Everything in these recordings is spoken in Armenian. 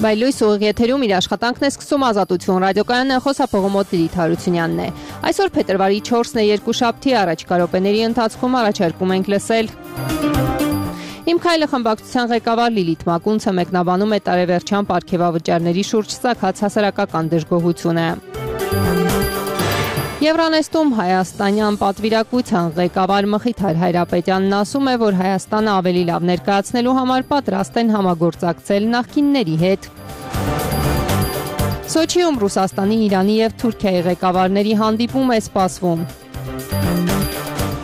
Բայլույս ուղիղ եթերում իր աշխատանքն է սկսում Ազատություն ռադիոկայանը, խոսափողոմոտ Լիլիթ Հարությունյանն է։ Այսօր փետրվարի 4-ն է, երկուշաբթի, առաջիկա րոպեների ընթացքում առաջարկում ենք լսել Իմ քայլը խմբակցության ղեկավար Լիլիթ Մակունցը մեկնաբանում է տարեվերջյան պարգևավճարների շուրջ ծագած հասարակական դժգոհությունը։ Եվրանեստում հայաստանյան պատվիրակության ղեկավար Մխիթար Հայրապետյանն ասում է, որ Հայաստանը ավելի լավ ներկայացնելու համար պատրաստ են համագործակցել նախկինների հետ։ Սոչիում Ռուսաստանի, Իրանի և Թուրքիայի ղեկավարների հանդիպում է սպասվում։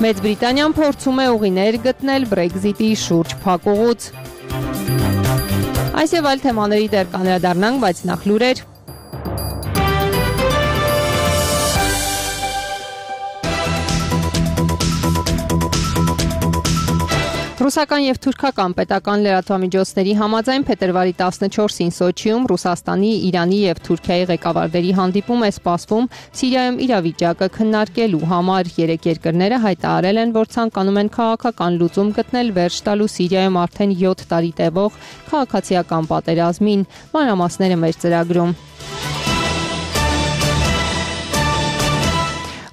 Մեծ Բրիտանիան փորձում է ուղիներ գտնել Բրեքզիտի շուրջ փակուղուց։ Այս և այլ թեմաների դեռ կանդրադառնանք, բայց նախ լուրեր։ Ռուսական և թուրքական պետական լրատվամիջոցների համաձայն փետրվարի 14-ին Սոչիում Ռուսաստանի, Իրանի և Թուրքիայի ղեկավարների հանդիպում է սպասվում Սիրիայում իրավիճակը քննարկելու համար։ Երեք երկրները հայտարարել են, որ ցանկանում են քաղաքական լուծում գտնել վերջ տալու Սիրիայում արդեն 7 տարի տևող քաղաքացիական պատերազմին։ Մանրամասները մեր ծրագրում։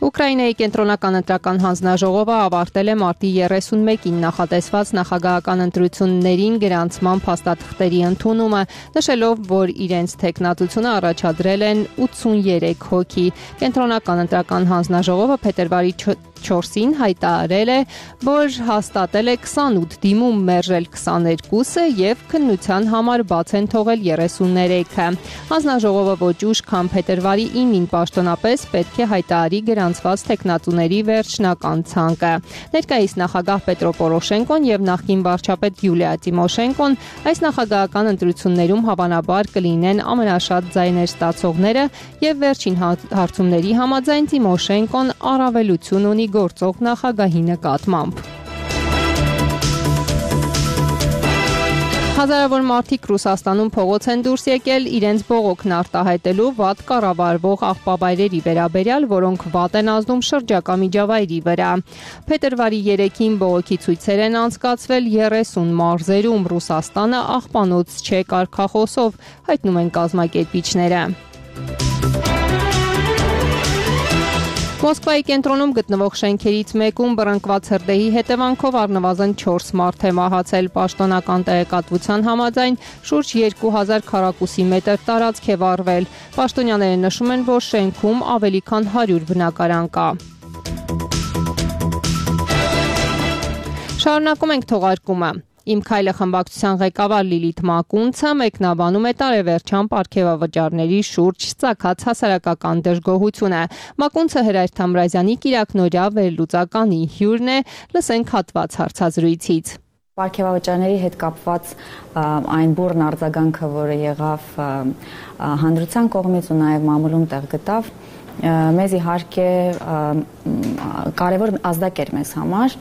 Ուկրաինայի կենտրոնական ընտրական հանձնաժողովը ավարտել է մարտի 31-ին նախատեսված նախագահական ընտրություններին գրանցման փաստաթղթերի ընդունումը, նշելով, որ իրենց թեկնածությունը առաջադրել են 83 հոգի։ Կենտրոնական ընտրական հանձնաժողովը փետրվարի 4-ին հայտարարել է, որ հաստատել է 28 դիմում, մերժել 22-ը և քննության համար բաց են թողել 33-ը։ Հանձնաժողովը ոչ ուշ, քան փետրվարի 9-ին պաշտոնապես պետք է հայտարարի գրանցված թեկնածուների վերջնական ցանկը։ Ներկայիս նախագահ Պետրո Պորոշենկոն և նախկին վարչապետ Յուլիա Տիմոշենկոն այս նախագահական ընտրություններում հավանաբար կլինեն ամենաշատ ձայներ ստացողները և վերջին հարցումների համաձայն Տիմոշենկոն առավելություն ունի գործող նախագահի նկատմամբ։ Հազարավոր մարդիկ Ռուսաստանում փողոց են դուրս եկել իրենց բողոքն արտահայտելու վատ կառավարվող աղբավայրերի վերաբերյալ, որոնք վատ են ազդում շրջակա միջավայրի վրա։ Փետրվարի 3-ին բողոքի ցույցեր են անցկացվել 30 մարզերում։ Ռուսաստանը աղբանոց չէ կարգախոսով, հայտնում են կազմակերպիչները։ Մոսկվայի կենտրոնում գտնվող շենքերից մեկում բռնկված հրդեհի հետևանքով առնվազն 4 մարդ է մահացել։ Պաշտոնական տեղեկատվության համաձայն շուրջ 2000 քառակուսի մետր տարածք է վառվել։ Պաշտոնյաները նշում են, որ շենքում ավելի քան 100 բնակարան կա։ Շարունակում ենք թողարկումը։ Իմ քայլը խմբակցության ղեկավար Լիլիթ Մակունցը մեկնաբանում է տարեվերջյան պարգևավճարների շուրջ ծագած հասարակական դժգոհությունը։ Մակունցը Հրայր Թամրազյանի կիրակնօրյա վերլուծականի հյուրն է, լսենք հատված հարցազրույցից։ Պարգևավճարների հետ կապված այն բուռն արձագանքը, որը եղավ հանրության կողմից ու նաև մամուլում տեղ գտավ, մեզ իհարկե կարևոր ազդակ էր մեզ համար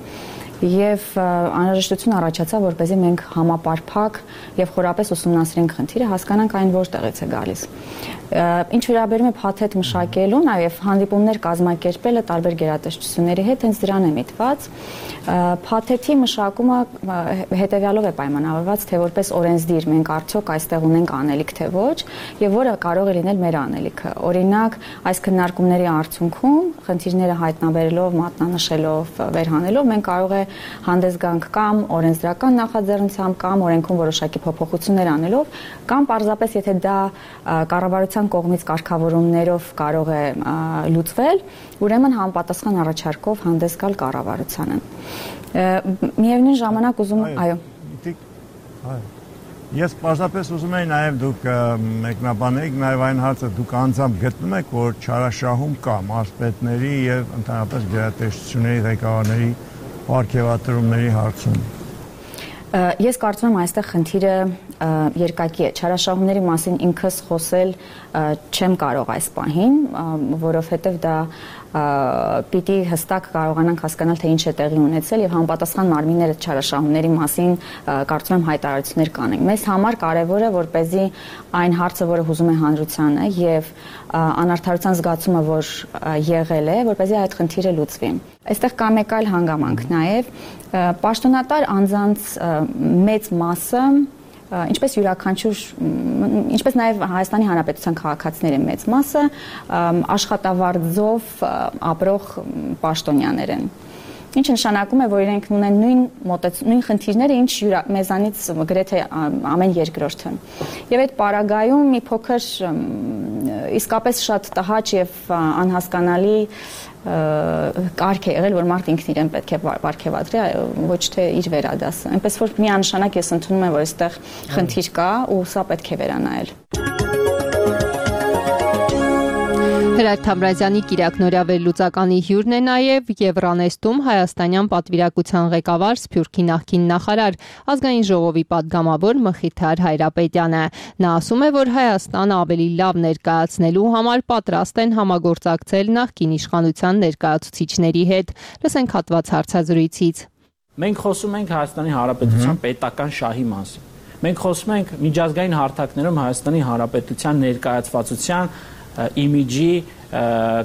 և անհրաժեշտություն առաջացավ, որպեսզի մենք համապարփակ և խորապես ուսումնասիրենք խնդիրը, հասկանանք այն որտեղից է գալիս։ Ինչ վերաբերում է փաթեթ մշակելու, նաև հանդիպումներ կազմակերպելը տարբեր գերատեսչությունների հետ հենց դրան է միտված։ Փաթեթի մշակումը հետևյալով է պայմանավորված, թե որպես օրենսդիր մենք արդյոք այստեղ ունենք անելիք, թե ոչ, և որը կարող է լինել մեր անելիքը։ Օրինակ, այս քննարկումների արդյունքում խնդիրները հայտնաբերելով, մատնանշելով, վերհանելով, մենք կարող է հանդես գանք կամ օրենսդրական նախաձեռնությամբ, կամ օրենքում որոշակի փոփոխություններ անելով, կամ պարզապես եթե դա կառավարության կողմից կարգավորումներով կարող է լուծվել, ուրեմն համապատասխան առաջարկով հանդես գալ կառավարությանը։ Միևնույն ժամանակ ուզում Ես պարզապես ուզում եի նաև դուք մեկնաբանեիք նաև այն հարցը, դուք անձամբ գտնում եք, որ չարաշահում կա մարզպետների և ընդհանրապես գերատեսչությունների ղեկավարների պարգևատրումների հարցում։ Ես կարծում եմ այստեղ խնդիրը երկակի է։ Չարաշահումների մասին ինքս խոսել չեմ կարող այս պահին, որովհետև դա պիտի հստակ կարողանանք հասկանալ, թե ինչ է տեղի ունեցել և համապատասխան մարմինները չարաշահումների մասին կարծում եմ հայտարարություններ կանեն։ Մեզ համար կարևոր է, որպեսզի այն հարցը, որը հուզում է հանրությանը և անարդարության զգացումը, որ եղել է, որպեսզի այդ խնդիրը լուծվի։ Այստեղ կա մեկ այլ հանգամանք նաև, պաշտոնատար անձանց մեծ մասը ինչպես յուրաքանչյուր, ինչպես նաև Հայաստանի Հանրապետության քաղաքացիների մեծ մասը աշխատավարձով ապրող պաշտոնյաներ են։ Ինչը նշանակում է, որ իրենք ունեն նույն խնդիրները, ինչ մեզանից գրեթե ամեն երկրորդը։ Եվ այդ պարագայում մի փոքր իսկապես շատ տհաճ եւ անհասկանալի կարգ է եղել, որ մարդ ինքն իրեն պետք է պարգևատրի, ոչ թե իր վերադասը։ Այնպես որ միանշանակ ես ընդունում եմ, որ այստեղ խնդիր կա ու սա պետք է վերանայել։ Հրայր Թամրազյանի Կիրակնորյա վերլուծականի հյուրն է նաև Եվրանեստում հայաստանյան պատվիրակության ղեկավար Սփյուռքի նախկին նախարար, ազգային ժողովի պատգամավոր Մխիթար Հայրապետյանը։ Նա ասում է, որ Հայաստանը ավելի լավ ներկայացնելու համար պատրաստ են համագործակցել նախկին իշխանության ներկայացուցիչների հետ։ Լսենք հատված հարցազրույցից։ Մենք խոսում ենք Հայաստանի Հանրապետության պետական շահի մասին։ Մենք խոսում ենք միջազգային հարթակներում Հայաստանի Հանրապետության ներկայացվածության իմիջի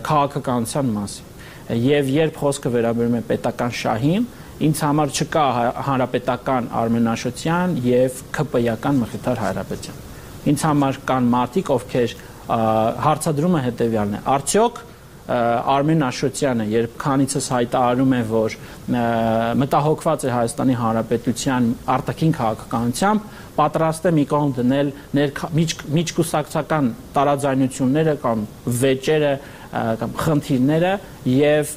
քաղաքականության մասին։ Եվ երբ խոսքը վերաբերում է պետական շահին, ինձ համար չկա հանրապետական Արմեն Աշոտյան եւ ԿՊ-ական Մխիթար Հայրապետյան։ Ինձ համար կան մարդիկ, ովքեր հարցադրումը հետեւյալն է. արդյոք Արմեն Աշոտյանը, երբ քանիցս հայտարարում է, որ մտահոգված է Հայաստանի Հանրապետության արտաքին քաղաքականությամբ, պատրաստ է մի կողմ դնել միջկուսակցական տարաձայնությունները կամ վեճերը կամ խնդիրները եւ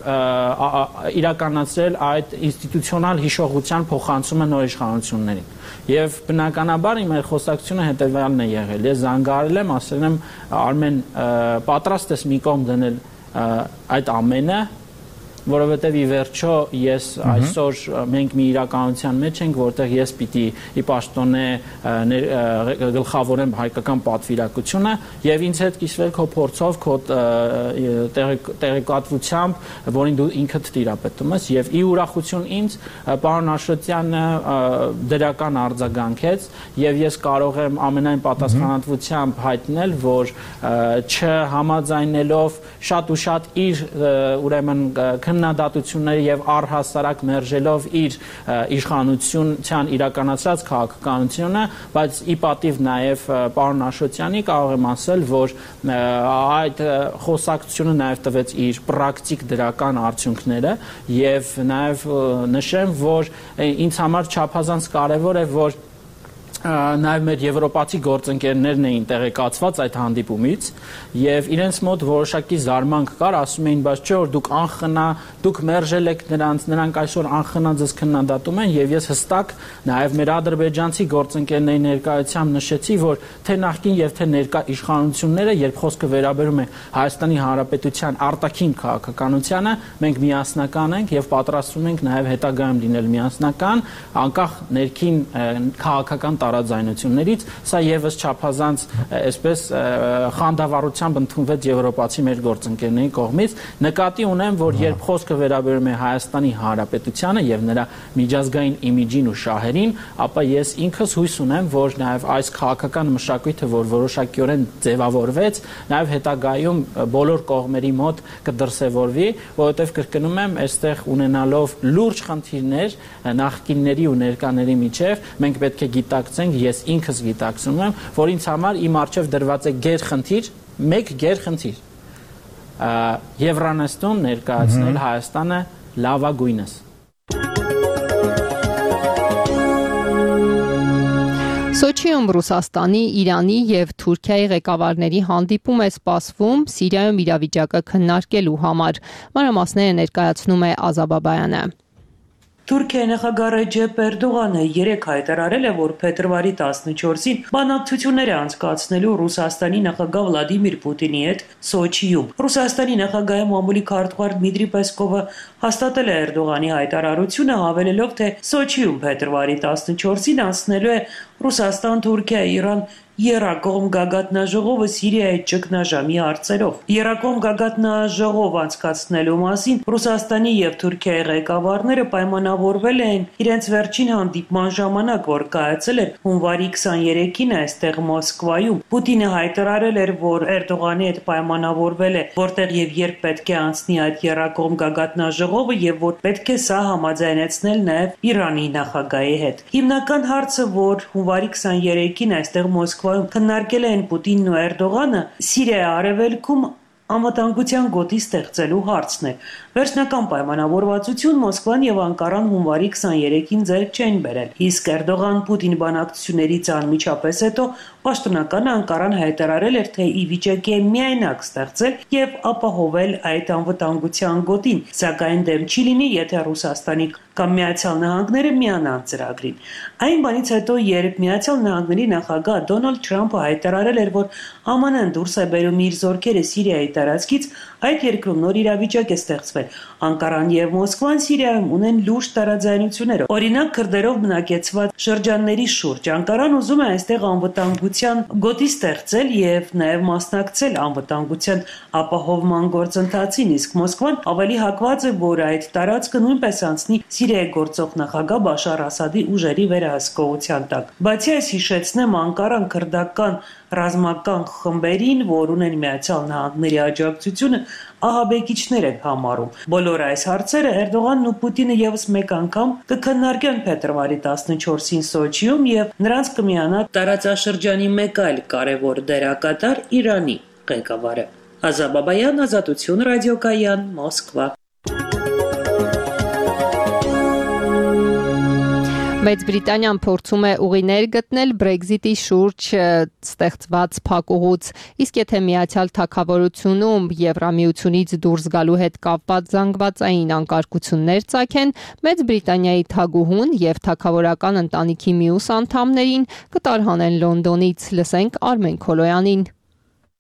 իրականացրել այդ ինստիտուցիոնալ հիշողության փոխանցումը նոր իշխանություններին։ Եվ բնականաբար իմ խոսակցությունը հետեւյալն է եղել։ Ես զանգարել եմ, ասել եմ Արմեն, պատրաստ ես մի կողմ դնել այդ ամենը, որովհետև ի վերջո ես այսօր մենք մի իրականության մեջ ենք, որտեղ ես պիտի ի պաշտոնե գլխավորեմ հայկական պատվիրակությունը եւ ինձ հետ կիսվել քո փորձով, քո տեղեկատվությամբ, որին դու ինքդ տիրապետում ես եւ ի ուրախություն ինձ պարոն Աշոտյանը դրական արձագանքեց եւ ես կարող եմ ամենայն պատասխանատվությամբ հայտնել, որ չհամաձայնելով շատ ու շատ իր ուրեմն քննադատությունները եւ առհասարակ մերժելով իր իշխանության իրականացրած քաղաքականությունը, բայց ի պատիվ նաեւ պարոն Աշոտյանի կարող եմ ասել, որ այդ խոսակցությունը նաեւ տվեց իր պրակտիկ դրական արդյունքները եւ նաեւ նշեմ, որ ինձ համար չափազանց կարեւոր է, որ նաև մեր եվրոպացի գործընկերներն էին տեղեկացված այդ հանդիպումից եւ իրենց մոտ որոշակի զարմանք կար, ասում էին, բայց չէ որ դուք անխնա, դուք մերժել եք նրանք այսօր անխնա ձեզ քննադատում են եւ ես հստակ նաև մեր ադրբեջանցի գործընկերների ներկայությամբ նշեցի, որ թե նախկին եւ թե ներկա իշխանությունները, երբ խոսքը վերաբերում է Հայաստանի Հանրապետության արտաքին քաղաքականությանը, մենք միասնական ենք եւ պատրաստվում ենք նաև հետագայում լինել միասնական, անկախ ներքին քաղաքական տարաձայնություններից, սա եւս չափազանց այսպես խանդավառությամբ ընդունվեց եվրոպացի մեր գործընկերների կողմից։ Նկատի ունեմ, որ երբ խոսքը վերաբերում է Հայաստանի Հանրապետությանը եւ նրա միջազգային իմիջին ու շահերին, ապա ես ինքս հույս ունեմ, որ նաեւ այս քաղաքական մշակույթը, որ որոշակիորեն ձևավորվեց, նաեւ հետագայում բոլոր կողմերի մոտ կդրսևորվի, որովհետեւ կրկնում եմ, այստեղ ունենալով լուրջ խնդիրներ նախկինների ու ներկաների միջև, մենք պետք է գիտակցենք, ես ինքս գիտակցում եմ, որ ինձ համար իմ առջև դրված է գերխնդիր, մեկ գերխնդիր, Եվրանեստում ներկայացնել Հայաստանը լավագույնս։ Սոչիում Ռուսաստանի, Իրանի եւ Թուրքիայի ղեկավարների հանդիպում է սպասվում Սիրիայում իրավիճակը քննարկելու համար։ Մանրամասները ներկայացնում է Ազաբաբայանը։ Թուրքիայի նախագահ Ռեջեփ Էրդողանը երեկ հայտարարել է, որ փետրվարի 14-ին բանակցություններ է անցկացնելու Ռուսաստանի նախագահ Վլադիմիր Պուտինի հետ Սոչիում։ Ռուսաստանի նախագահի մամուլի քարտուղար Դմիտրի Պեսկովը հաստատել է Էրդողանի հայտարարությունը, հավելելով, թե Սոչիում փետրվարի 14-ին անցնելու է Ռուսաստան, Թուրքիա, Իրան Երակողմ գագաթնաժողովը Սիրիայի ճգնաժամի հարցերով։ Երակողմ գագաթնաժողով անցկացնելու մասին Ռուսաստանի եւ Թուրքիայի ղեկավարները պայմանավորվել էին իրենց վերջին հանդիպման ժամանակ, որ կայացել էր հունվարի 23-ին այստեղ Մոսկվայում։ Պուտինը հայտարարել էր, որ Էրդողանի հետ պայմանավորվել է, որտեղ եւ երբ պետք է անցնի այդ երակողմ գագաթնաժողովը եւ որ պետք է սա համաձայնեցնել նաեւ Իրանի նախագահի հետ։ Հիմնական հարցը, որ հունվարի 23-ին այստեղ Մոսկվայում քննարկել են Պուտինն ու Էրդողանը, Սիրիայի արևելքում անվտանգության գոտի ստեղծելու հարցն է։ Վերջնական պայմանավորվածություն Մոսկվան եւ Անկարան հունվարի 23-ին ձեռք չեն բերել։ Իսկ Էրդողան-Պուտին բանակցություններից անմիջապես հետո պաշտոնական Անկարան հայտարարել էր, թե ի վիճակի է միայնակ ստեղծել եւ ապահովել այդ անվտանգության գոտին, սակայն դեմ չի լինի, եթե Ռուսաստանի կամ Միացյալ Նահանգները միանան ծրագրին։ Այն բանից հետո, երբ Միացյալ Նահանգների նախագահ Դոնալդ Թրամփը հայտարարել էր, որ ԱՄՆ-ն դուրս է բերում իր զորքերը Սիրիայի տարածքից, այդ երկրում նոր իրավիճակ է ստեղծվել։ Անկարան եւ Մոսկվան Սիրիայում ունեն լուրջ տարաձայնություններ, օրինակ քրդերով բնակեցված շրջանների շուրջ։ Անկարան ուզում է այստեղ անվտանգության գոտի ստեղծել եւ նաեւ մասնակցել անվտանգության ապահովման գործընթացին, իսկ Մոսկվան ավելի հակված է, որ այդ տարածքը նույնպես անցնի Սիրիայի գործող նախագահ Բաշար Ասադի ուժերի վերահսկողության տակ։ Բացի այս, հիշեցնեմ, Անկարան քրդական ռազմական խմբերին, որ ունեն Միացյալ Նահանգների աջակցությունը, ահաբեկիչներ են համարում։ Բոլոր այս հարցերը Էրդողանն ու Պուտինը եւս մեկ անգամ կքննարկեն փետրվարի 14-ին Սոչիում եւ նրանց կմիանա տարածաշրջանի մեկ այլ կարևոր դերակատար Իրանի ղեկավարը։ Ազաբաբայան, Ազատություն ռադիոկայան, Մոսկվա։ Մեծ Բրիտանիան փորձում է ուղիներ գտնել Brexit-ի շուրջ ստեղծված փակուղուց, իսկ եթե Միացյալ Թագավորությունում Եվրամիությունից դուրս գալու հետ կապված զանգվածային անկարգություններ ծագեն, Մեծ Բրիտանիայի թագուհուն եւ թագավորական ընտանիքի մյուս անդամներին կտարհանեն Լոնդոնից, լսենք Արմեն Քոլոյանին։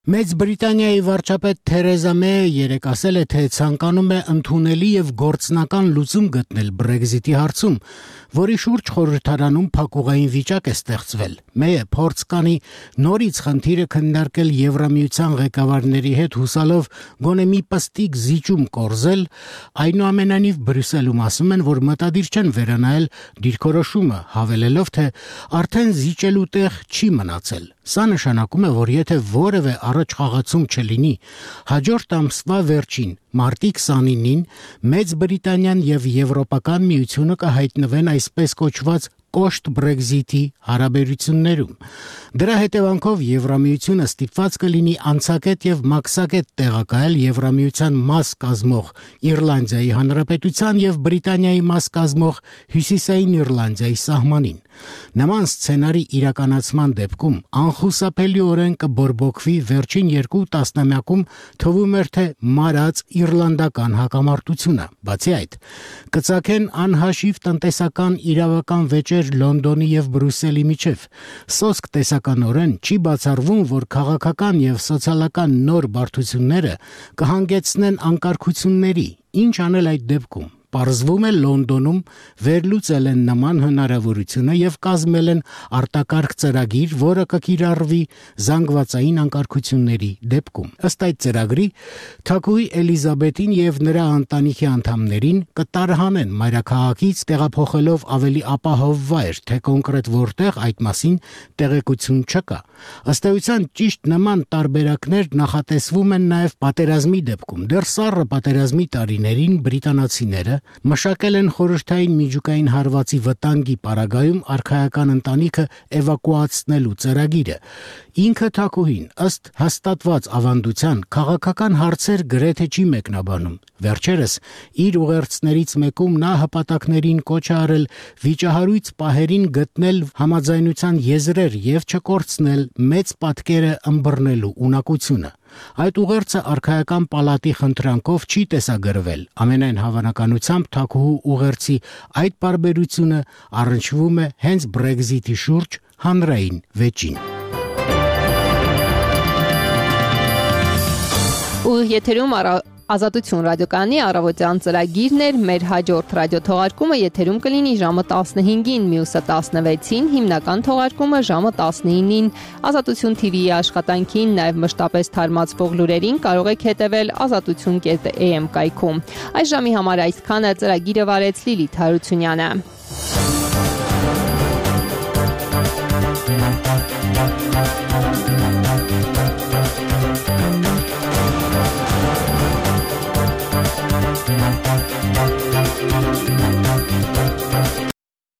Մեծ Բրիտանիայի վարչապետ Թերեզա Մեյը երեկ ասել է, թե ցանկանում է ընդունելի եւ գործնական լուծում գտնել Brexit-ի հարցում, որի շուրջ խորհրդարանում փակուղային վիճակ է ստեղծվել։ Մեյը փորձ կանի նորից խնդիրը քննարկել Եվրամիության ղեկավարների հետ հուսալով գոնե մի պստիկ զիջում կորզել, այնուամենայնիվ Բրյուսելում ասում են, որ մտադիր չեն վերանայել դիրքորոշումը, հավելելով, թե արդեն զիջելու տեղ չի մնացել։ Սա նշանակում է, որ եթե որևէ առաջ խաղացում չլինի, հաջորդ ամսվա վերջին մարտի 29-ին Մեծ Բրիտանիան եւ Եվրոպական միությունը կհայտնվեն այսպես կոչված կոշտ Brexit-ի հարաբերություններում։ Դրա հետևանքով Եվրամիությունը ստիպված կլինի անցակետ եւ մաքսակետ տեղակայել Եվրամիության մաս կազմող Իռլանդիայի Հանրապետության եւ Բրիտանիայի մաս կազմող Հյուսիսային Իռլանդիայի սահմանին։ Նման սցենարի իրականացման դեպքում անխուսափելիորեն կբորբոքվի վերջին 2 տասնամյակում թվում էր, թե մարած իռլանդական հակամարտությունը։ Բացի այդ, կծագեն անհաշիվ տնտեսական իրավական վեճեր Լոնդոնի եւ Բրյուսելի միջև։ Սոսկ տեսականորեն չի բացառվում, որ քաղաքական եւ սոցիալական նոր բարդությունները կհանգեցնեն անկարգությունների։ Ինչ անել այդ դեպքում։ Պարզվում է Լոնդոնում վերլուծել են նման հնարավորությունը եւ կազմել են արտակարգ ծրագիր, որը կկիրառվի զանգվածային անկարգությունների դեպքում։ Ըստ այդ ծրագրի, թագուհի Էլիզաբեթին եւ նրա ընտանիքի անդամներին կտարհանեն մայրաքաղաքից, տեղափոխելով ավելի ապահով վայր, թե կոնկրետ որտեղ այդ մասին տեղեկություն չկա։ Ըստ էության ճիշտ նման տարբերակներ նախատեսվում են նաեւ պատերազմի դեպքում։ Դեռ սառը պատերազմի տարիներին բրիտանացիները մշակել են խորհրդային միջուկային հարվածի վտանգի պարագայում արքայական ընտանիքը էվակուացնելու ծրագիրը։ Ինքը թագուհին ըստ հաստատված ավանդության քաղաքական հարցեր գրեթե չի մեկնաբանում։ Վերջերս իր ուղերձներից մեկում նա հպատակներին կոչ է արել վիճահարույց պահերին գտնել համաձայնության եզրեր եւ չկորցնել մեծ պատկերը ըմբռնելու ունակությունը։ Այդ ուղերձը արքայական պալատի խնդրանքով չի տեսագրվել։ Ամենայն հավանականությամբ թագուհու ուղերձի այդ բարբերությունը առնչվում է հենց Brexit-ի շուրջ հանրային վեճին։ Ու եթերում Ազատություն ռադիոկայանի առավոտյան ծրագիրն էր, մեր հաջորդ ռադիոթողարկումը եթերում կլինի ժամը 15-ին, մյուսը 16-ին, հիմնական թողարկումը ժամը 19-ին։ Ազատություն TV-ի աշխատանքին, նաև մշտապես թարմացվող լուրերին կարող եք հետևել azatutun.am կայքում։ Այս ժամի համար այսքանը, ծրագիրը վարեց Լիլիթ Հարությունյանը։